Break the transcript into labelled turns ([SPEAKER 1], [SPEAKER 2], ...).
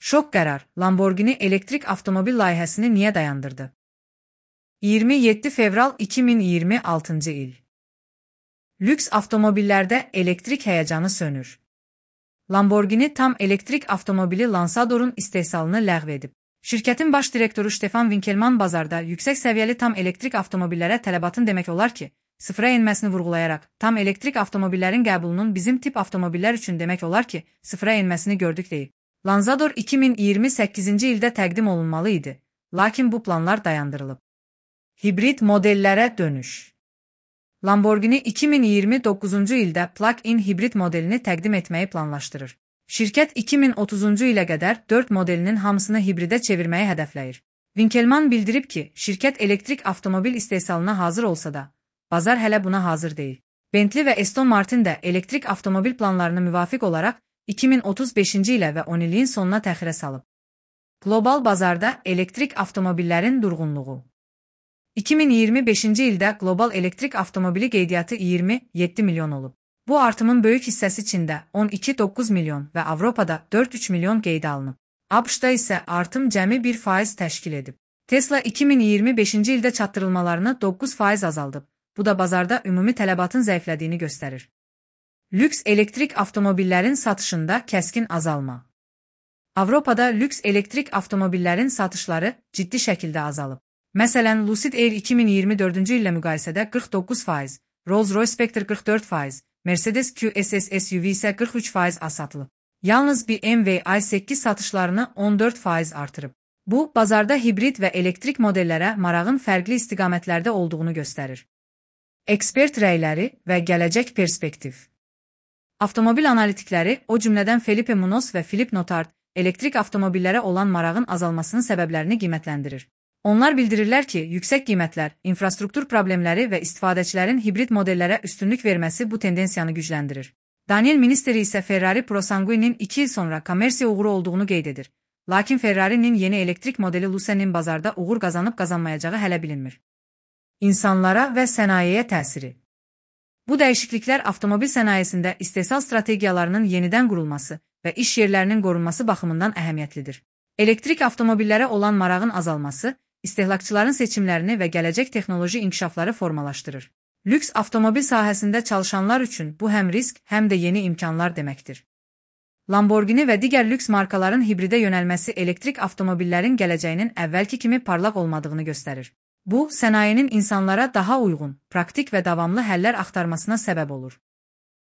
[SPEAKER 1] Şok qərar, Lamborghini elektrik avtomobil layihəsini niyə dayandırdı? 27 fevral 2026-cı il. Lüks avtomobillərdə elektrik həyəcanı sönür. Lamborghini tam elektrik avtomobili Lansador'un istehsalını ləğv edib. Şirkətin baş direktoru Stefan Winkelmann bazarda yüksək səviyyəli tam elektrik avtomobillərə tələbatın demək olar ki, sıfıra enməsini vurğulayaraq, tam elektrik avtomobillərin qəbulunun bizim tip avtomobillər üçün demək olar ki, sıfıra enməsini gördük deyib. Lansador 2028-ci ildə təqdim olunmalı idi, lakin bu planlar dayandırılıb. Hibrid modellərə dönüş. Lamborghini 2029-cu ildə plug-in hibrid modelini təqdim etməyi planlaşdırır. Şirkət 2030-cu ilə qədər 4 modelinin hamısını hibridə çevirməyi hədəfləyir. Winkelmann bildirib ki, şirkət elektrik avtomobil istehsalına hazır olsa da, bazar hələ buna hazır deyil. Bentley və Aston Martin də elektrik avtomobil planlarına müvafiq olaraq 2035-ci ilə və 10 illiyin sonuna təxirə salıb. Qlobal bazarda elektrik avtomobillerin durğunluğu. 2025-ci ildə qlobal elektrik avtomobili qeydiyyatı 27 milyon olub. Bu artımın böyük hissəsi Çində 12,9 milyon və Avropada 4,3 milyon qeydə alınıb. ABŞ-da isə artım cəmi 1% təşkil edib. Tesla 2025-ci ildə çatdırılmalarını 9% azaldıb. Bu da bazarda ümumi tələbatın zəiflədiyini göstərir. Lüks elektrik avtomobillerin satışında kəskin azalma. Avropada lüks elektrik avtomobillerin satışları ciddi şəkildə azalıb. Məsələn, Lucid Air 2024-cü illə müqayisədə 49%, Rolls-Royce Spectre 44%, Mercedes QS SUV isə 43% az satılıb. Yalnız BMW i8 satışlarını 14% artırıb. Bu, bazarda hibrid və elektrik modellərə marağın fərqli istiqamətlərdə olduğunu göstərir. Ekspert rəyləri və gələcək perspektiv. Avtomobil analitikləri, o cümlədən Felipe Munoz və Philip Notard, elektrik avtomobillərə olan marağın azalmasının səbəblərini qiymətləndirir. Onlar bildirirlər ki, yüksək qiymətlər, infrastruktur problemləri və istifadəçilərin hibrid modellərə üstünlük verməsi bu tendensiyanı gücləndirir. Daniel Ministeri isə Ferrari ProSanguine'in 2 il sonra kommersiya uğuru olduğunu qeyd edir. Lakin Ferrari'nin yeni elektrik modeli Luce'nin bazarda uğur qazanıb-qazanmayacağı hələ bilinmir. İnsanlara və sənayeyə təsiri. Bu dəyişikliklər avtomobil sənayesində istehsal strategiyalarının yenidən qurulması və iş yerlərinin qorunması baxımından əhəmiyyətlidir. Elektrik avtomobillərə olan marağın azalması, istehlakçıların seçimlərini və gələcək texnoloji inkişafları formalaşdırır. Lüks avtomobil sahəsində çalışanlar üçün bu həm risk, həm də yeni imkanlar deməkdir. Lamborghini və digər lüks markaların hibridə yönəlməsi elektrik avtomobillerin gələcəyinin əvvəlki kimi parlaq olmadığını göstərir. Bu, sənayenin insanlara daha uyğun, praktik və davamlı həllər axtarmasına səbəb olur.